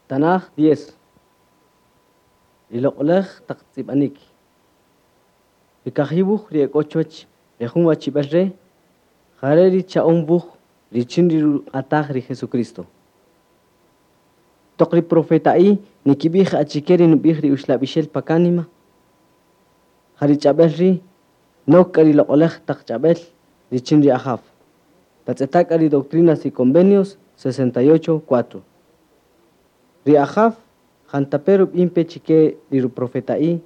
Tanaj 10. Ri loq'olaj taq tz'ib'anik. Ri kajiwuj ri ek'o chuwach re jun wachib'al re' jare' ri cha'on wuj richin ri ruq'ataj ri Jesucristo. Toq ri profeta'i nikib'ij achike ri nub'ij ri uxlab'ixel pa kánima, ja ri ch'ab'el ri' nok k'a ri loq'olaj taq ch'ab'el richin ri Ajaw. Tatz'eta' k'a ri Doctrinas y Convenios 68.4. Ri Ajaw jantape' rub'in pe chike ri ruprofeta'i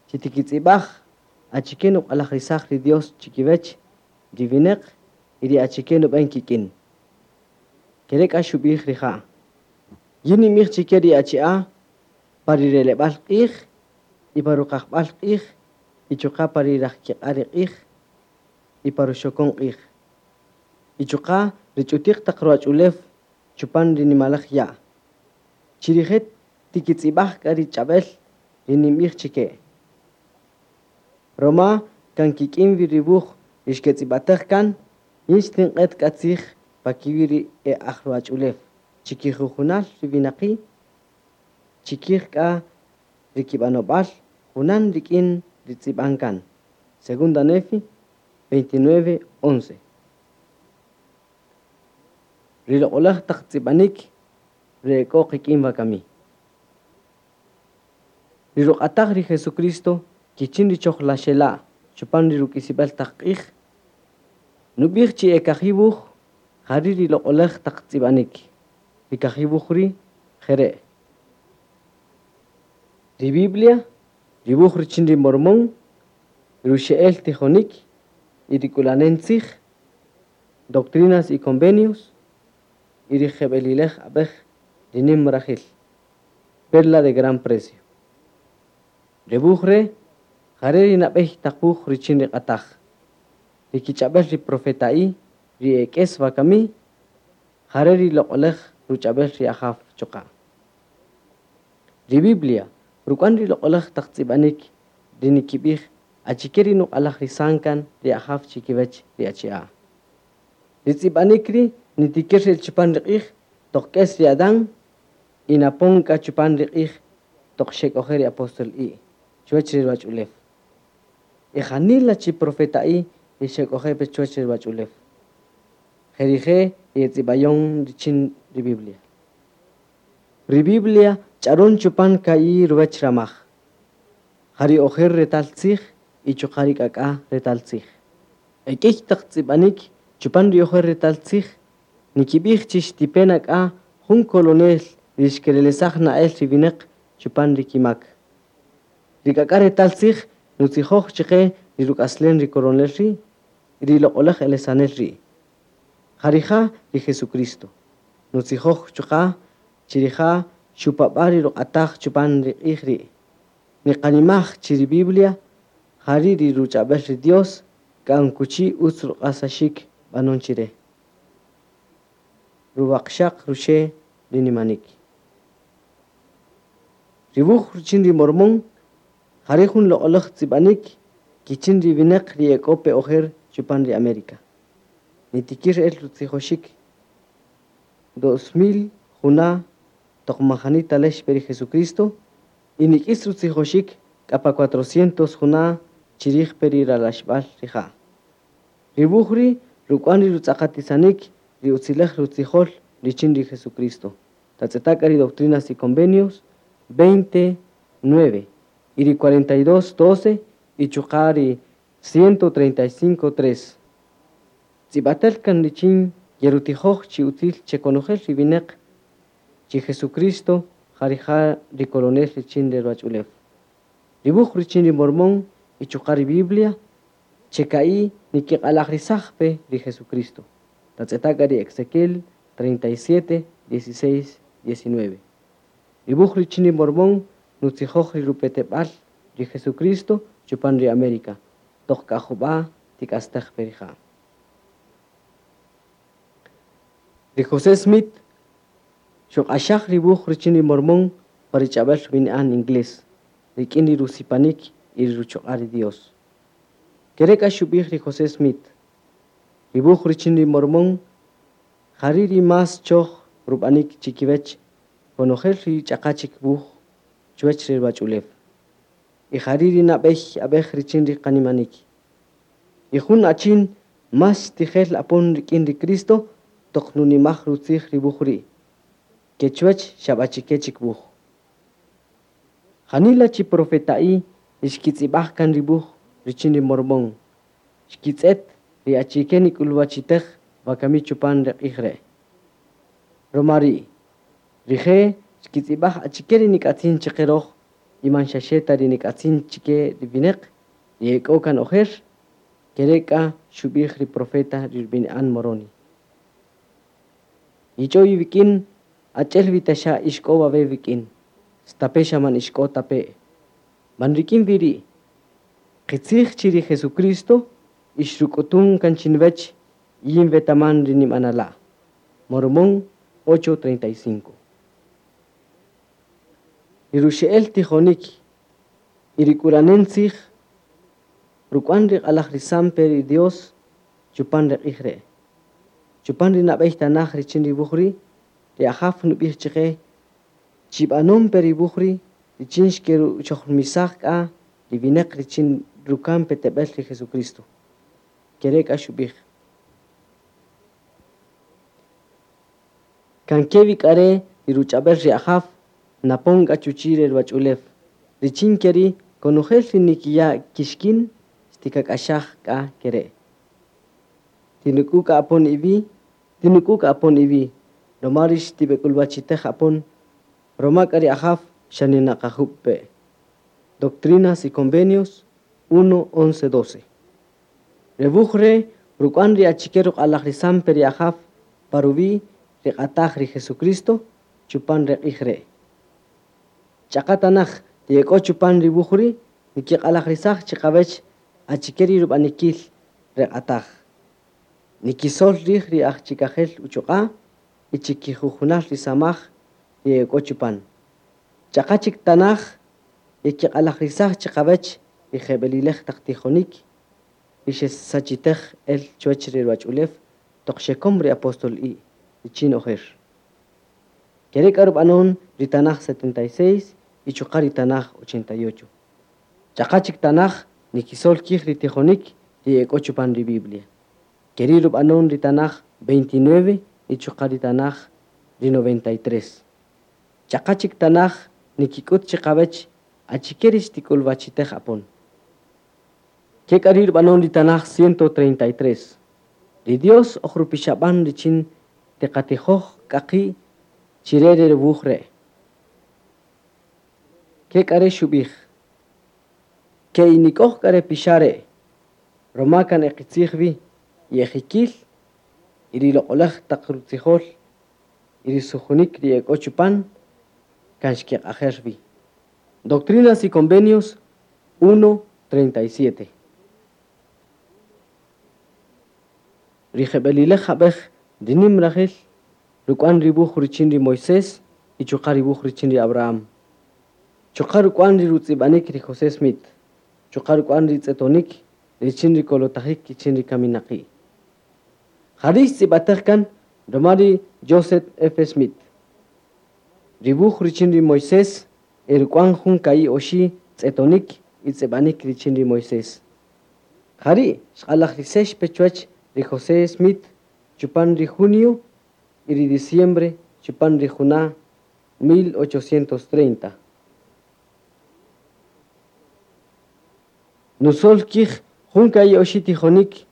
chi tikitz'ib'aj achike nuq'alajrisaj ri Dios chikiwach ri winäq y ri achike nub'an kik'in. Kere' k'a xub'ij rija': Yin ninb'ij chike ri achi'a' pa ri releb'al q'ij y pa ruqajb'al q'ij y chuqa' pa ri rajkiq'a' ri q'ij y pa ruxokon q'ij. Y chuqa' ri ch'utiq taq ruwach'ulew chupan ri nimalaj ya'. Chi rije' tikitz'ib'aj k'a ri ch'ab'el ri ninb'ij chike. Roma kan kik'in wi ri wuj ri xketz'ib'ataj kan, yin xtinq'et k'a tzij pa kiwi' ri e aj ruwach'ulew, chikijujunal ri winaqi', chikij k'a ri kib'anob'al junan rik'in ri tz'ib'an kan. Segunda Nefi 29:11. Ri loq'olaj taq tz'ib'anik re ek'o qik'in wakami. Ri ruq'ataj ri Jesucristo kichin ri chojlaxela' chupan ri ruk'isib'al taq q'ij, nub'ij chi e kajiwuj jari' ri loq'olaj taq tz'ib'anik. Ri kajiwuj ri' jere': Ri Biblia, ri wuj richin ri Mormón, ruxe'el tijonik y ri k'ulanen tzij, Doctrinas y Convenios, y ri jeb'elilej ab'ej ri nim rajil, Perla de gran precio. Re wuj re' jare' ri nab'ey taq wuj richin ri q'ataj. Ri kich'ab'el ri profeta'i ri ek'es wakami, jare' ri loq'olaj ruch'ab'el ri Ajaw chuqa'. Ri Biblia ruk'wan ri loq'olaj taq tz'ib'anik ri nikib'ij achike ri nuq'alajrisan kan ri Ajaw chikiwach ri achi'a'. Ri tz'ib'anik ri' nitikir el chupan ri q'ij toq k'es ri Adán y napon k'a chupan ri q'ij toq xek'oje' ri apóstol i' chuwach ri ruwach'ulew. Y janila chi profeta'i ri xek'oje' pe chuwach ri ruwach'ulew. Jerije' ri etz'ib'ayon richin ri Biblia. Ri Biblia ch'aron chupan ka'i ruwach ramaj. Ja ri ojer retal tzij y chuqa' ri k'ak'a retal tzij. Ek'ey taq tz'ib'anik chupan ri ojer retal tzij nikib'ij chi xtipe nak'a jun kolonel ri xkerelesaj na'el ri winäq chupan ri kimak. Ri k'ak'a retal tzij nutzijoj chike ri ruk'aslen ri coronel ri', ri loq'olaj elesanel ri'. Ja rija' ri Jesucristo. Nutzijoj chuqa' chi rija' xupab'a' ri ruq'ataj chupan ri q'ij ri'. Niqanimaj chi ri Biblia jari' ri ruch'ab'el ri Dios k'an kuchi utz ruq'asaxik b'anon chire. Ruwaqxaq ruxe' ri nimanik. Ri wuj richin ri Mormón jare' jun loq'olaj tz'ib'anik kichin ri winäq ri ek'o pe ojer chupan ri América. Nitikir el rutzijoxik 2000 juna' toq majani talex pe ri Jesucristo y nik'is rutzijoxik k'a pa 400 juna' chirij pe ri ralaxb'al rija'. Ri wuj ri' ruk'wan ri rutz'aqatisanik ri utzilej rutzijol richin ri Jesucristo. Tatz'eta' k'a ri Doctrinas y Convenios 29 y ri 42.12 y chuqa' ri 135.3. Tz'ib'atel kan richin yerutijoj chi utzil chekonojel ri winäq chi Jesucristo ja rija' ri coronel richin ri ruwach'ulew. Ri wuj richin ri Mormón y chuqa' ri Biblia cheka'i nikiq'alajrisaj pe ri Jesucristo. Tatz'eta' k'a ri Ezequiel 37, 16, 19. Ri wuj richin ri Mormón nutzijoj ri rupeteb'al ri Jesucristo chupan ri América. Toq k'a jub'a' tik'astej pe rija'. Ri José Smith xuq'axaj ri wuj richin ri Mormón pa ri ch'ab'el rub'ini'an inglés, rik'in ri rusipanik y ri ruchuq'a' ri Dios. Kere' k'a xub'ij ri José Smith. Ri wuj richin ri Mormón jari' ri más choj rub'anik chikiwach konojel ri ch'aqa chik wuj chuwäch ri ruwach'ulew. Y jari' ri nab'ey ab'ej richin ri qanimanik. Y jun achin más tijel apon rik'in ri Cristo toq nunimaj rutzij ri wuj ri', ke chuwäch xab'achike chik wuj. Janila chi profeta'i ri xkitz'ib'aj kan ri wuj richin ri Mormón. Xkitz'et ri achike nik'ulwachitej wakami chupan ri q'ij re'. Roma ri', rije' xkitz'ib'aj achike ri nik'atzin chaqe roj y man xaxe ta ri nik'atzin chike ri wineq ri ek'o kan ojer, kere' k'a xub'ij ri profeta ri rub'ini'an Moroni. Yich'o iwik'in achi'el wi ta xa ixk'o wawe' wik'in, stape' xa man ixk'o ta pe'. Man rik'in wi ri', qitzij chi ri Jesucristo ixruk'utun kan chinwech yin wetaman ri nib'anala'. Mormón 8:35. Ri ruxe'el tijonik y ri k'ulanen tzij ruk'wan ri q'alajrisan pe ri Dios chupan ri q'ij re'. Chupan ri nab'ey tanaj richin ri wuj ri', ri Ajaw nub'ij chaqe chib'anon pe ri wuj ri' richin xkeruchojmisaj k'a ri wineq richin rukan peteb'el ri Jesucristo. Kere' k'a xub'ij. Kan ke wi k'a re' ri ruch'ab'el ri Ajaw napon k'a chuchi' re ruwach'ulew. Richin ke ri' konojel ri nikiya' kixkin xtikak'axaj k'a kere'. Tinuk'u k'a apon iwi', tinuk'u k'a apon iwi', roma rix tib'ek'ulwachitej apon, roma k'a ri Ajaw xa ninaqajub' pe'. Doctrinas y Convenios 1, 11, 12. Re wuj re' ruk'wan ri achike ruq'alajrisan pe ri Ajaw pa ruwi' ri q'ataj ri Jesucristo chupan re q'ij re'. Ch'aqa tanaj ri ek'o chupan ri wuj ri' nikiq'alajrisaj chiqawech achike ri rub'anikil re q'ataj. Nikisol rij ri aj chikajel uchuq'a' y chikijujunal ri samaj ri ek'o chupan. Ch'aqa chik tanaj yekiq'alajrisaj chiqawech ri jeb'elilej taq tijonik ri xesachitej el chuwech ri ruwach'ulew toq xekom ri apóstol i' richin ojer. Kere' k'a rub'anon ri tanaj 76 y chuqa' ri tanaj 88. Ch'aqa chik tanaj nikisol kij ri tijonik ri ek'o chupan ri Biblia. Keri' rub'anon ri tanaj 29 y chuqa' ri tanaj ri 93. Ch'aqa chik tanaj nikik'ut chiqawech achike ri xtik'ulwachitej apon. Ke k'a ri' rub'anon ri tanaj 133. Ri Dios oj rupixab'an richin tiqatijoj k'a qi' chire re wuj re'. Ke k'a re' xub'ij. Ke inik'oj k'a re pixa' re', roma kan eqitzij wi y ejikil y ri loq'olaj taq rutzijol y ri sujunik ri ek'o chupan kan xkeq'ajer wi. Doctrinas y Convenios 1, 37. Ri jeb'elilej ab'ej ri nim rajel ruk'wan ri wuj richin ri Moisés y chuqa' ri wuj richin ri Abraham. Chuqa' ruk'wan ri rutz'ib'anik ri José Smith. Chuqa' ruk'wan ri tz'etonik richin ri kolotajik richin ri kaminaqi'. Jari' xtz'ib'atej kan roma ri Joseph F. Smith. Ri wuj richin ri Moisés e ruk'wan jun ka'i' oxi' tz'etonik y tz'ib'anik richin ri Moisés. Jari' xq'alajrisex pe chuwech ri José Smith chupan ri junio y ri diciembre chupan ri juna' 1830. Nusol kij jun ka'i' oxi' tijonik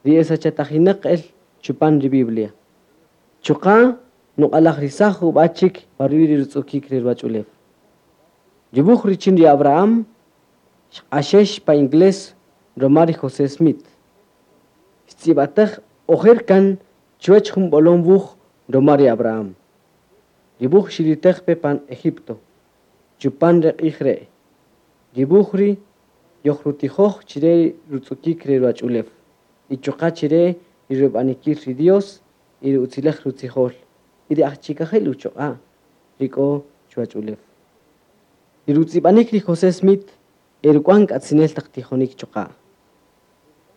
ri esachatajinaq el chupan ri Biblia. Chuqa' nuq'alajrisaj jub'a' chik pa ruwi' ri rutz'ukik ri ruwach'ulew. Ri wuj richin ri Abraham xq'axex pa inglés roma ri José Smith. Xtz'ib'atej ojer kan chuwech jun b'olom wuj roma ri Abraham. Ri wuj xilitej pe pan Egipto, chupan re q'ij re'. Ri wuj ri' yojrutijoj chire rutz'ukik ri ruwach'ulew y chuqa' chire ri rub'anikil ri Dios y ri utzilej rutzijol y ri aj chikajel uchuq'a' ri k'o chuwach'ulew. Ri rutz'ib'anik ri José Smith e ruk'wan k'atzinel taq tijonik chuqa'.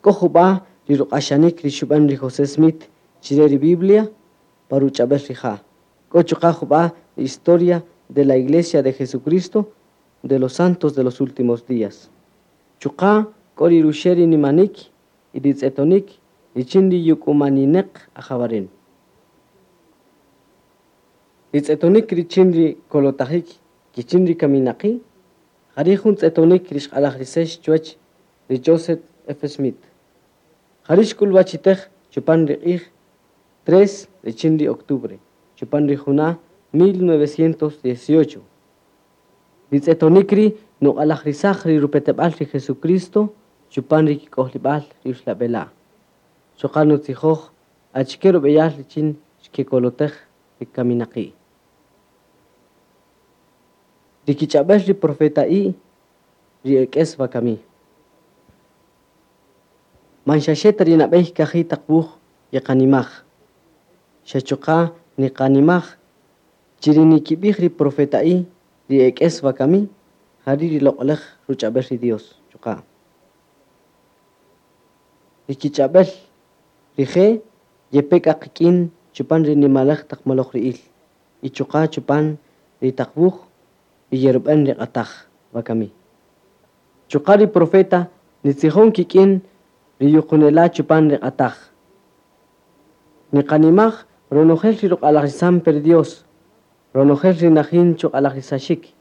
K'o jub'a' ri ruq'axanik ri xub'an ri José Smith chire ri Biblia pa ruch'ab'el rija'. K'o chuqa' jub'a' Historia de la Iglesia de Jesucristo de los Santos de los Últimos Días. Chuqa' k'o ri ruxe' ri nimanik y ri tz'etonik richin ri yuk'umaninaq ajawaren. Ri tz'etonik richin ri kolotajik kichin ri kaminaqi', jari' jun tz'etonik ri xq'alajrisex chuwach ri Joseph F. Smith. Jari' xk'ulwachitej chupan ri q'ij 3 richin ri octubre, chupan ri juna' 1918. Ri tz'etonik ri' nuq'alajrisaj ri rupeteb'al ri Jesucristo chupan ri kik'ojlib'al ri uxlab'ela'. Chuqa' nutzijoj achike rub'eyal richin xkekolotej ri kaminaqi'. Ri kich'ab'el ri profeta'i ri ek'es wakami. Man xaxe ta ri nab'ey kaji' taq wuj yeqanimaj. Xa chuqa' niqanimaj chi ri nikib'ij ri profeta'i ri ek'es wakami jari' ri loq'olaj ruch'ab'el ri Dios chuqa'. Ri kich'ab'el rije' yepe k'a qik'in chupan ri nimalaj taq moloj ri'il y chuqa' chupan ri taq wuj ri yerub'an ri q'ataj wakami. Chuqa' ri profeta nitzijon kik'in ri yuqunela' chupan ri q'ataj. Niqanimaj ronojel ri ruq'alajrisan per Dios, ronojel ri najin chuq'alajrisaxik.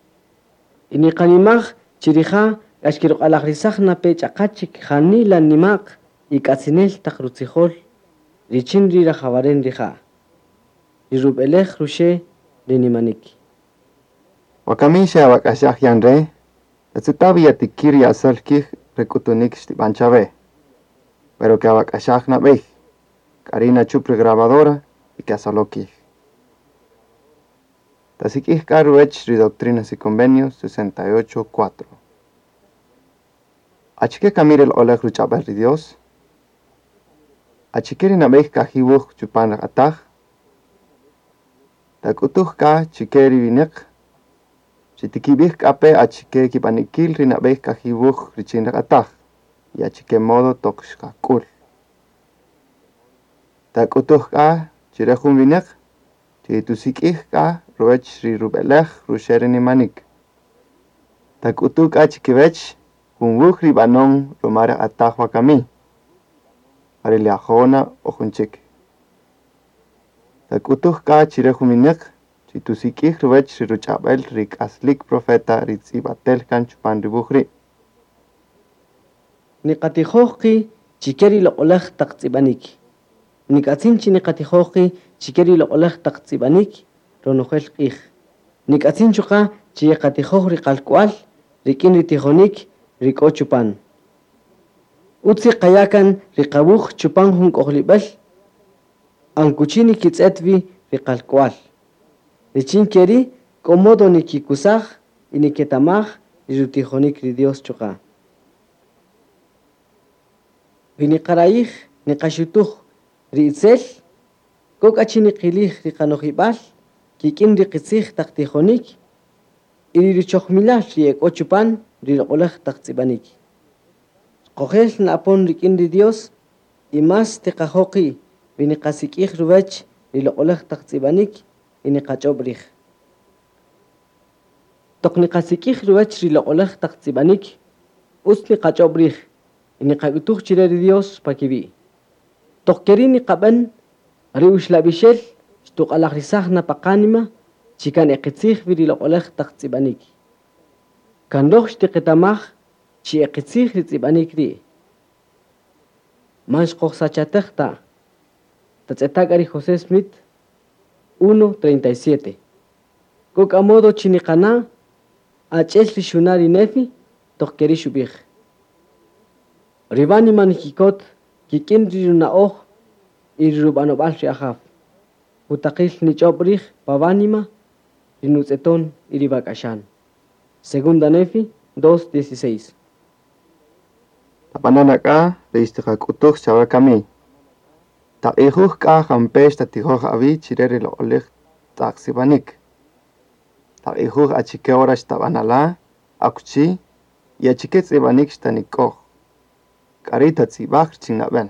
Y niqanimaj chi rija' k'a xkiruq'alajrisaj nape ch'aqa chik janila nima'q y k'atzinel taq rutzijol richin ri rajawaren rija'. Ri rub'elej ruxe' ri nimanik. Wakami xa awak'axaj yan re', tatz'eta' wi yatikir yasol kij re k'utunik xtib'an chawe. Pero ke awak'axaj nab'ey, k'a ri' nachup ri grabadora y ke'asolo kij. Tasik'ij k'a ruwech ri Doctrinas y Convenios 68.4. Achike kami re loq'olaj ruch'ab'al ri Dios? Achike ri nab'ey kaji' wuj chupan ri q'ataj? Tak'utuj k'a chike ri winäq, chi tikib'ij k'a pe achike kib'anikil ri nab'ey kaji' wuj richin ri q'ataj y achike modo toq xqak'ul. Tak'utuj k'a chire jun winäq chi tusik'ij k'a ruwech ri rub'elej ruxe' ri nimanik. Tak'utuj k'a chikiwech jun wuj ri b'anon ruma ri q'ataj wakami, jare' Liahona o jun chik. Tak'utuj k'a chire jun winäq chi tusik'ij ruwech ri ruch'ab'el ri k'aslik profeta ri tz'ib'atel kan chupan ri wuj ri'. Niqatijoj qi' chike ri loq'olaj taq tz'ib'anik. Nik'atzin chi niqatijoj qi' chike ri loq'olaj taq tz'ib'anik ronojel q'ij. Nik'atzin chuqa' chi yeqatijoj ri qalk'wal rik'in ri tijonik ri k'o chupan. Utz qaya' ri qawuj chupan jun k'ojlib'al ankuchi nikitz'et wi ri qalk'wal. Richin ke ri' k'o modo nikikusaj y niketamaj ri rutijonik ri Dios chuqa'. Wi niqarayij niqaxutuj ri itzel, k'o k'a chi niqilij ri qanojib'al kik'in ri qitzij taq tijonik y ri ruchojmilal ri ek'o chupan ri loq'olaj taq tz'ib'anik. Qojel na'apon rik'in ri Dios y mas tiqajo' qi' wi niqasik'ij ruwech ri loq'olaj taq tz'ib'anik y niqach'ob' rij. Toq niqasik'ij ruwech ri loq'olaj taq tz'ib'anik, utz niqach'ob' rij y niqak'utuj chire ri Dios pa kiwi'. Toq ke ri' niqab'an ri uxlab'ixel xtuq'alajrisaj na pa qánima chi kan eqitzij wi ri loq'olaj taq tz'ib'anik. Kan roj xtiqetamaj chi eqitzij ri tz'ib'anik ri'. Man xqojsachatej ta. Tatz'eta' k'a ri José Smith 1.37. K'o k'a modo chi niqana' ach'el ri xuna' ri Nefi toq ke ri' xub'ij. Ri wánima nikikot kik'in ri runa'oj y ri rub'anob'al ri Ajaw. Jutaqil nich'ob' rij pa wánima ri nutz'eton y ri wak'axan. Segunda Nefi 2.16. Tab'ana' k'a ri xtiqak'utuj chawe kami. Taq'ijuj k'a jampe' xtatijoj awi' chire ri loq'olaj taq sipanik. Taq'ijuj achike hora xtab'anala', akuchi y achike tz'ib'anik xtanik'oj. K'a ri' tatz'ib'aj richin nab'en.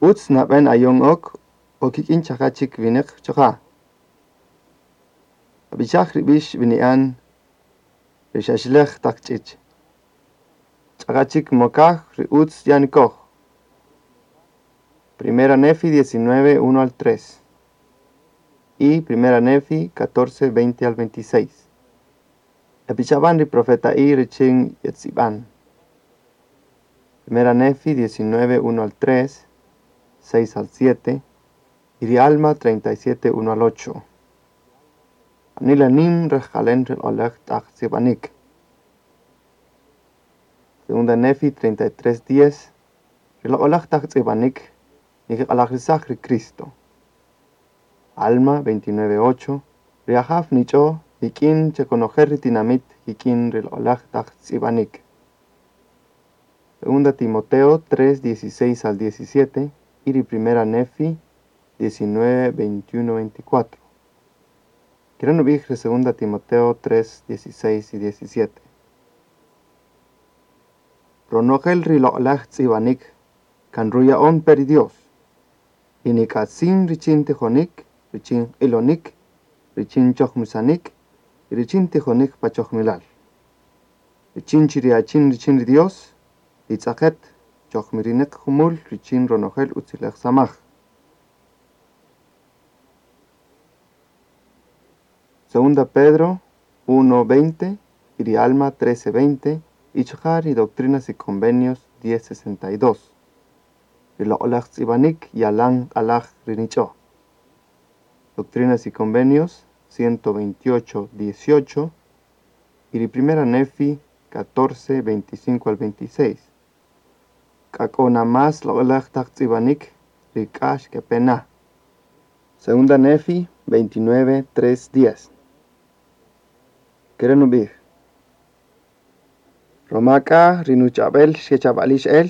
Utz nab'en ayon ok o kik'in ch'aqa chik winäq chuqa'. Ab'ixaj ri b'ix b'ini'an ri xaxlej taq ch'ich. Ch'aqa chik mokaj ri utz yanikoj. Primera Nefi 19, 1 al 3 y Primera Nefi 14, 20 al 26. Epixab'an ri profeta'i richin yetz'ib'an. Primera Nefi 19, 1 al 3, 6 al 7 y ri Alma 37, 1 al 8. Anila nim rejqalen ri loq'oläj t'aj tz'ib'anik. Segunda Nefi 33, 10. Ri loq'oläj taq tz'ib'anik nikiq'alajrisaj ri Cristo. Alma 29, 8. Ri Ajaw nich'o kik'in che konojel ri tinamit kik'in ri loq'oläj taq tz'ib'anik. Segunda Timoteo 3, 16 al 17 y ri Primera Nefi 19, 21, 24. Kere nub'ij ri Segunda Timoteo 3, 16 y 17. Ronojel ri loq'oläj tz'ib'anik kan ruya'on pe ri Dios. Y nik'atzin richin tijonik, richin q'ilonik, richin chojmisanik y richin tijonik pa chojmilal. Richin chi ri achin richin ri Dios, titz'aqet chojmirineq jumul richin ronojel utziläj samaj. Segunda Pedro 1, 20 y ri Alma 13, 20 y chuqa' ri Doctrinas y Convenios 10, 62. Ri loq'oläj tz'ib'anik yalan q'alaj ri nich'o. Doctrinas y Convenios 128, 18 y ri Primera Nefi 14, 25 al 26. K'a k'o na más loq'oläj taq tz'ib'anik ri k'a xkepe na. Segunda Nefi 29, 3, 10. Kere nub'ij. Roma k'a ri nuch'ab'el xkechab'alix el,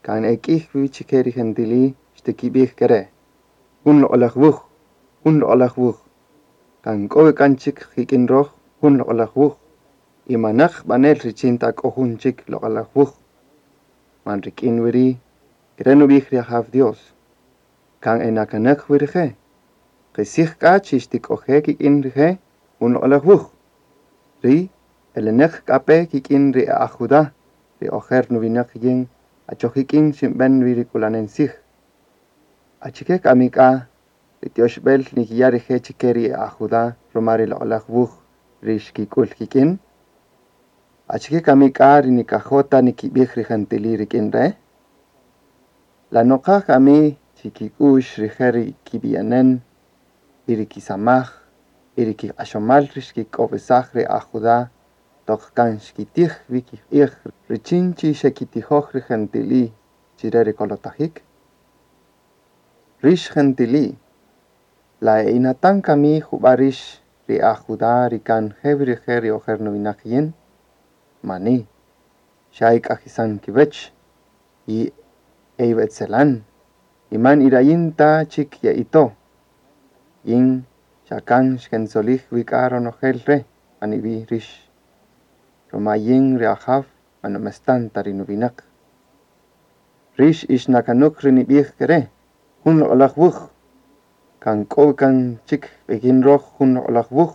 kan e k'ij wi chike ri gentili xtikib'ij kere'. Jun loq'oläj wuj, jun loq'oläj wuj. Kan k'o wi kan chik kik'in röj jun loq'oläj wuj. Y manäq b'anel richin ta k'o jun chik loq'oläj wuj. Man rik'in wi ri' kere' nub'ij ri Ajaw Dios. Kan e nakanäq wi rije'. Qisij k'a chi xtik'oje' kik'in rije' jun loq'oläj wuj. Ri eleneq k'a pe kik'in ri aj Judá, ri ojer nuwinaq yin achoj ik'in xinb'en wi ri k'ulanen tzij. Achike kami k'a ri tioxb'el nikiya' rije' chike ri aj Judá ruma ri loq'oläj wuj ri xkik'ul kik'in? Achike kami k'a ri nikajo' ta nikib'ij ri gentili rik'in re'? La noqa kami chi kik'u'x rije' ri kib'iyanen y ri kisamaj y ri kiq'axomal ri xkik'owisaj ri aj Judá toq kan xkitij wi kiq'ij richin chi xekitijoj ri gentili chire ri kolotajik? Rix gentili, la e inatan kami jub'a rix ri aj Judá ri kan je wi rije' ri ojer nuwinaq yin? Mani, xa ik'ajisan kiwäch y e iwetzelan y man irayin ta chik ye'ito. Yin xa kan xkentzolij wi k'a ronojel re' pan iwi' rix. Roma yin ri Ajaw man numestan ta ri nuwinaq. Rix ixnakanuk ri nib'ij kere', jun loq'oläj wuj. Kan k'o kan chik qik'in röj jun loq'oläj wuj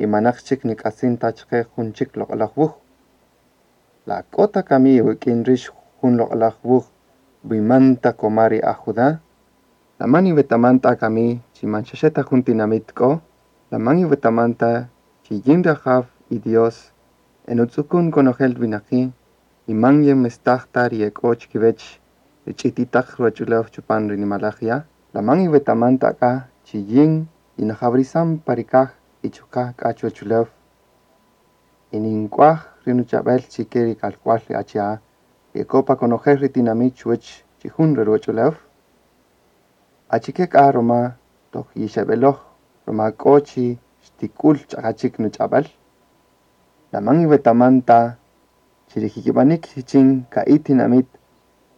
y manäq chik nik'atzin ta chaqe jun chik loq'oläj wuj. La k'o ta kami iwik'in rix jun loq'oläj wuj b'iman ta koma ri aj Judá? La man iwetaman ta kami chi man xaxe ta jun tinamit k'o? La man iwetaman ta chi yin ri Ajaw y Dios e nutz'ukun konojel winaqi' y man yenmestaj ta ri e k'o chikiwech ri ch'ititaq ruwach'ulew chupan ri nimaläj ya'? La man iwetaman ta k'a chi yin yinajawrisan pa ri kaj y chuqa' k'a chuwach ulew y nink'uaj ri nuch'ab'el chike ri kalk'wal ri achi'a' ri e k'o pa konojel ri tinamit chuwech chijun re ruwach'ulew? Achike k'a roma toq yixeb'eloj roma k'o chi xtik'ul ch'aqa chik nuch'ab'äl? La man iwetaman ta chi ri jikib'anik richin ka'i' tinamit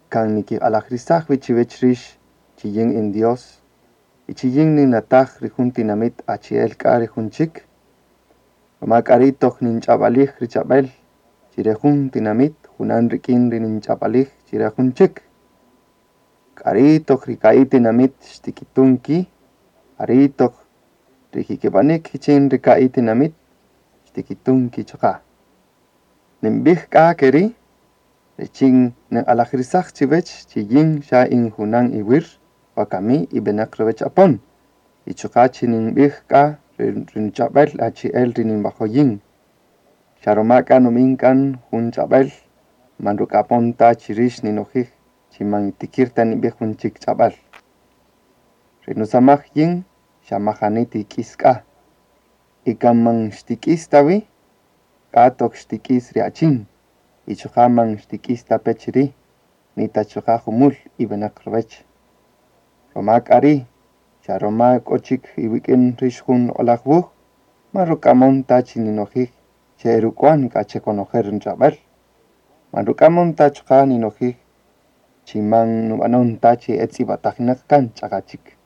kan nikiq'alajrisaj wi chiwech rix chi yin in Dios y chi yin ninnataj ri jun tinamit achi'el k'a ri jun chik? Roma k'a ri' toq ninch'ab'alij ri ch'ab'äl chire jun tinamit junan rik'in ri ninch'ab'alij chire jun chik. K'a ri' toq ri ka'i' tinamit xtikitun ki', jari' toq Ri jikib'anik kichin ri ka'i' tinamit xtikitun ki' chuqa'. Ninb'ij k'a ke ri' richin ninq'alajirisaj chiwech chi yin xa in junan iwir wakami y beneq ruwech apon. Y chuqa' chi ninbij k'a ri nuch'abel achi'el ri ninwajo' yin. Xa roma k'a nubin kan jun ch'abel, man ruk'amon ta chi rix ninojij chi man yitikir ta ninbij jun chik ch'abel. Ri nusamaj yin xa man jani tik'is k'a. Y kan man xtik'is ta wi, k'a toq xtik'is ri achin. Y chuqa' man xtik'is ta pe chiri', ni ta chuqa' jumul y beneq ruwech. Roma k'a ri', xa roma k'o chik iwik'in rix jun loq'olaj wuj, man ruk'amon ta chi ninojij chi e ruk'uan k'a chi konojel ri nuch'abel. Man ruk'amon ta chuqa' ninojij chi man nubanon ta chi e tz'ibatajineq kan ch'aqa' chik.